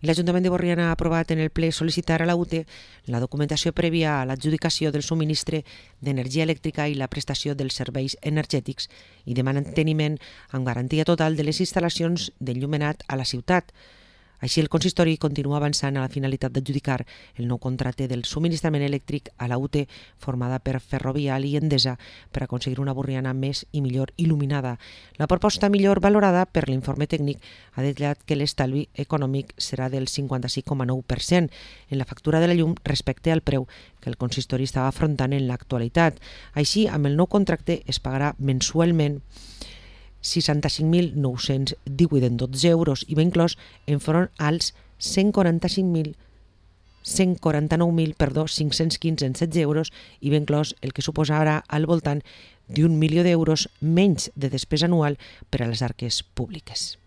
I l'Ajuntament de Borriana ha aprovat en el ple sol·licitar a la UTE la documentació prèvia a l'adjudicació del subministre d'energia elèctrica i la prestació dels serveis energètics i de manteniment amb garantia total de les instal·lacions d'enllumenat a la ciutat. Així, el consistori continua avançant a la finalitat d'adjudicar el nou contracte del subministrament elèctric a la UTE formada per Ferrovial i Endesa per aconseguir una Borriana més i millor il·luminada. La proposta millor valorada per l'informe tècnic ha detallat que l'estalvi econòmic serà del 56,9% en la factura de la llum respecte al preu que el consistori estava afrontant en l'actualitat. Així, amb el nou contracte es pagarà mensualment 65.918 en 12 euros i va inclòs enfront als 149.515 en 16 euros i va inclòs el que suposarà al voltant d'1 milió d'euros menys de despesa anual per a les arques públiques.